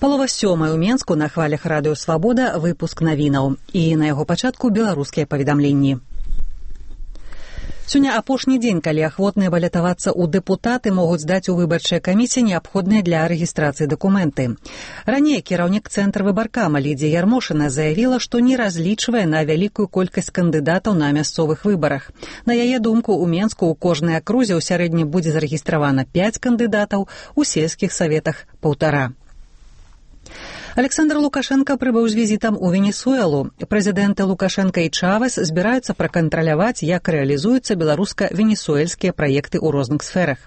7:30 ў Менску на хвалях радыё «Свабода» выпуск навінаў. І на яго пачатку беларускія паведамленні. Сёння апошні дзень, калі ахвотныя балятавацца ў дэпутаты могуць здаць у выбарчыя камісіі неабходныя для рэгістрацыі дакументы. Раней кіраўнік цэнтра выбаркама Лідзія Ярмошына заявіла, што не разлічвае на вялікую колькасць кандыдатаў на мясцовых выбарах. На яе думку, у Менску ў кожнай акрузе ў сярэднім будзе зарэгістравана 5 кандыдатаў, у сельскіх саветах 1,5. Александр Лукашенко прыбыў з візітам у Венесуэлу. Прэзідэнты Лукашенко і Чавес збіраюцца пракантраляваць, як рэалізуюцца беларуска-венесуэльскія праекты ў розных сферах.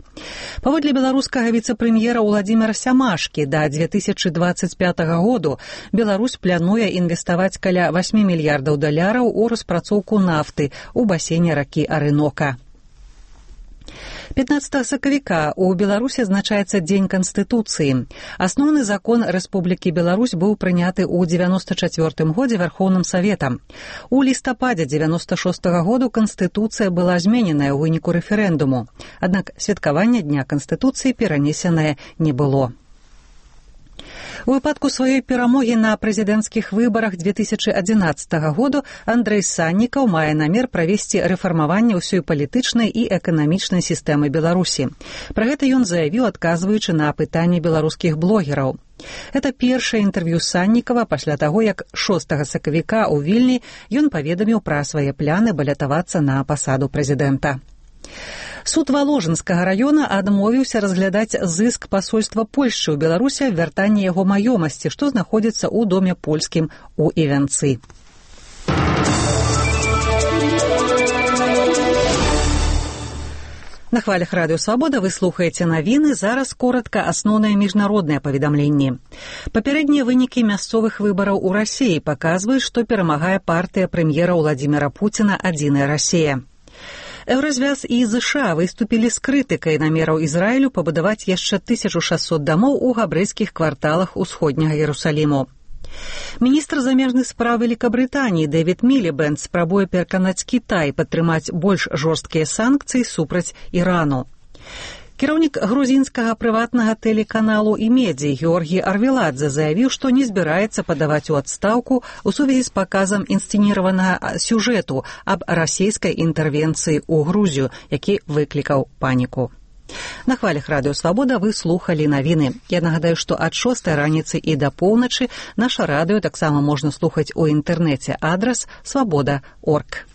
Паводле беларускага віцэ-прэм'ера Уладзіміра Сямашкі, да 2025 году Беларусь плануе інвеставаць каля $8 мільярдаў у распрацоўку нафты ў басейне ракі Арынока. 15 сакавіка у Беларусі адзначаецца Дзень Канстытуцыі. Асноўны закон Рэспублікі Беларусь быў прыняты ў 94 годзе Вярхоўным Саветам. У лістападзе 96 году Канстытуцыя была змененая ў выніку рэферэндуму. Аднак святкавання Дня Канстытуцыі перанесенае не было. У выпадку сваёй перамогі на прэзідэнцкіх выбарах 2011 году Андрэй Саннікаў мае намер правесці рэфармаванне ўсёй палітычнай і эканамічнай сістэмы Беларусі. Пра гэта ён заявіў, адказваючы на пытанні беларускіх блогераў. Это першае інтэрв'ю Саннікава пасля таго, як 6 сакавіка ў Вільні ён паведаміў пра свае пляны балятавацца на пасаду прэзідэнта. Суд Валожынскага раёна адмовіўся разглядаць зыск пасольства Польшчы ў Беларусі аб вяртанні яго маёмасці, што знаходзіцца ў доме польскім у Івянцы. На хвалях радыё «Свабода» вы слухаеце навіны, зараз коратка асноўныя міжнародныя паведамленні. Папярэднія вынікі мясцовых выбараў у Расіі паказваюць, што перамагае партыя прэм'ера Владзіміра Пуціна «Адзіная Расія». Еўразвяз і ЗША выступілі з крытыкай намераў Ізраілю пабудаваць яшчэ 1600 дамоў у габрэйскіх кварталах усходняга Іерусаліму. Міністр замежных спраў Вялікабрытаніі Дэвід Мілібэнд спрабуе пераканаць Кітай падтрымаць больш жорсткія санкцыі супраць Ірану. Кіраўнік грузінскага прыватнага тэлеканалу і медзі Георгій Арвеладзе заявіў, што не збіраецца падаваць у адстаўку ў сувязі з паказам інсцэніраванага сюжэту аб расійскай інтэрвенцыі ў Грузію, які выклікаў паніку. На хвалях радыё «Свабода» вы слухалі навіны. Я нагадаю, што ад 6 раніцы і да поўначы наша радыё таксама можна слухаць у інтэрнэце. Адрас свабода.орг.